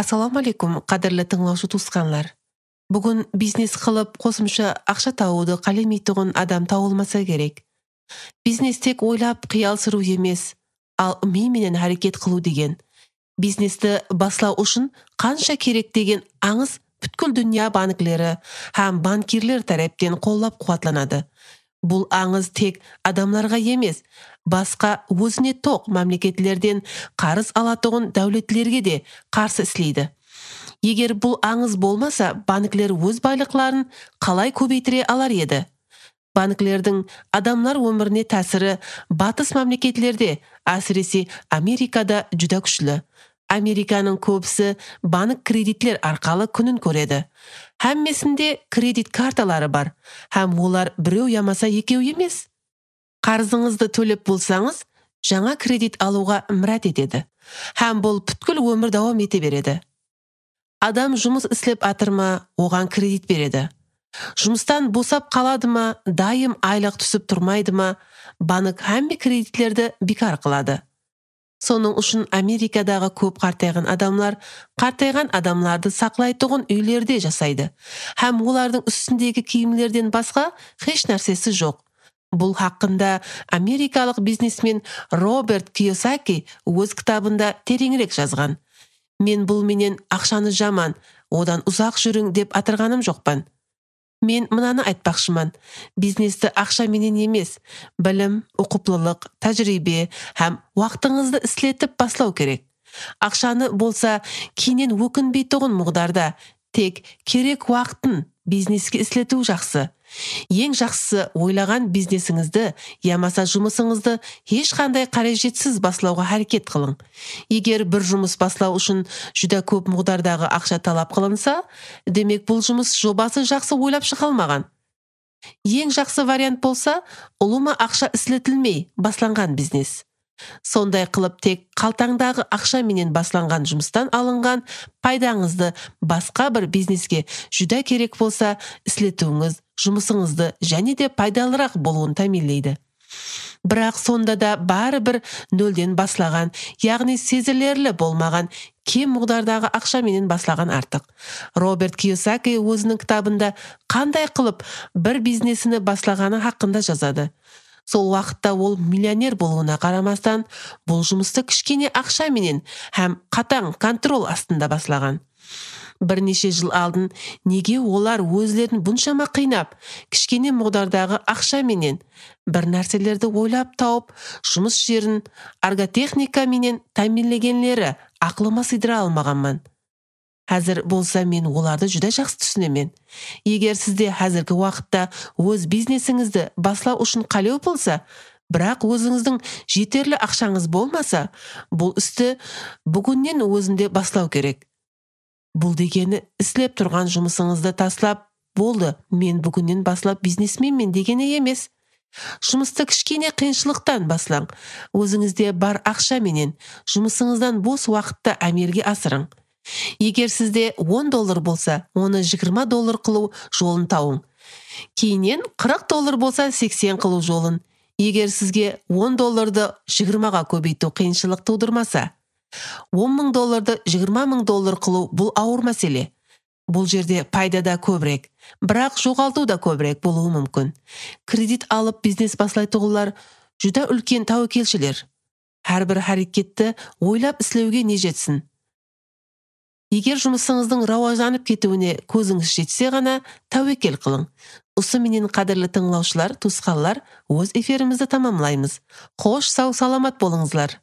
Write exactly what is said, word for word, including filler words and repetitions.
Assalamu alaikum, qadrli tinglovchi tuqqanlar. Bugun biznes qilib qo'shimcha aqsha табууду калемейтигин адам табылмаса керек. Бизнес тек ойлап кыял суруу эмес, ал мээ менен аракет кылуу деген. Бизнести баслоо үчүн канча керек деген аңыз бүткүл дүйнө банклери һәм банкирлер тараптан коллоп кубатланады. Бул аңыз тек адамдарга эмес, башка өзүнө ток мамлекеттерден карыз алатыгын давлетлерге де каршы иштейди. Эгер бул аңыз болмаса, банклер өз байлыкларын калай көбөйтүрө алар edi? Банклердин адамдар өмүрүнө таасири батыс мамлекеттерде, асыресе Америкада жүдө күчлүү. Американын көбүсү банк кредиттер аркылуу күнүн көрөдү. Хаммесинде кредит карталары бар, һәм олар бирөө ямаса экөө эмес. Карызыңызды төлөп болсаңыз, жаңа кредит алууга мурат этеди. Һәм бул бүткүл өмүр давам эте береди. Адам жумуш иштеп атырма, оган кредит береди. Жумуштан босап каладымы, дайым айлык түсүп турмайдымы, банк хамма кредиттерди бекар кылады. Сонун үчүн Америкадагы көп картайган адамлар картайган адамдарды саклайтыгын үйлөрдө жасайды. Һәм улардын үстүндөгү кийимлерден башка эч нерсеси жок. Бул хакында америкалык бизнесмен Роберт Кийосаки өз китабында тереңирээк жазган. Мен бул менен акчаны жаман, одан узак жүрүң деп атырганым жокмун. Мен мынаны айтпакчымын. Бизнести акча менен эмес, билим, окуплулук, тажрыйба һәм вактыңызды иштетип башлоо керек. Акчаны болса кийинен өкүнбөй турган мугдарда, тек керек вактын бизнеске иштетүү жакшы. Эң жакшысы ойлаган бизнесиңизди, ямаса жумушуңузду эч кандай каражатсыз башлоого аракет кылың. Эгер бир жумуш башлоо үчүн жүдө көп мугдардагы акча талап кылынса, демек бул жумуш жобасы жакшы ойлап чыгылмаган. Эң жакшы вариант болса, улума акча иштетилмей башланган бизнес. Сондай кылып тек калтаңдагы акча менен башланган жумуштан алынган пайдаңызды башка бир бизнеске жүдө керек болса, иштетүүңүз жумушуңузду және де пайдалыраак болуун таминлейди. Бирок сонда да баары бир нөлдөн башлаган, ягни сезилерлик болмаган кем мугдардагы акча менен башлаган артык. Роберт Кийосаки өзүнүн китабында кандай кылып бир бизнесини башлаганы хакында жазады. Сол вакытта ол миллионер болууна карамастан, бул жумусту кичкене акча менен һәм катаң контрол астында башлаган. Бир нече жыл алдын неге олар өзлерин бунчама кыйнап, кичкене мугдардагы акча менен бир нерселерди ойлап тауып, жумуш жерин арготехника менен таминлегенлери акылыма сыйдыра алмаганмын. Азыр болса мен оларды жүдө жакшы түшүнөмүн. Эгер сизде азыркы вакытта өз бизнесиңизди башлоо үчүн калөө болса, бирок өзүңүздүн жетерлик акчаңыз болмаса, бул исти бүгүндөн өзүндө башлоо керек. Бул дегени иштеп турган жумушуңузду ташлап, болду, мен бүгүндөн башлап бизнесменмин дегени эмес. Жумусту кичкене кыйынчылыктан башлаң. Өзүңүздө бар акча менен жумушуңуздан бос вакытта амелге асырың. Эгер сизде он доллар болса, оны жыйырма доллар кылуу жолун табың. Кийинен кырк доллар болса, сексен кылуу жолун. Эгер сизге он долларды жыйырмага көбөйтүү кыйынчылык туудурмаса, он миң долларды жыйырма миң доллар кылуу бул ауыр маселе. Бул жерде пайда да көбүрөөк, бирок жоголтуу да көбүрөөк болуу мүмкүн. Кредит алып бизнес башлайтыгылар жүдө үлкен табакелчилер. Ар бир аракетти ойлап иштөөгө не жетсин. Эгер жумушуңуздун раважанып кетүүнө көзүңүз жетсе гана табакел кылың. Усы менен кадырлы тыңлоочулар, тусканлар, өз эфирибизди тамамлайбыз. Кош, сау саламат болуңузлар.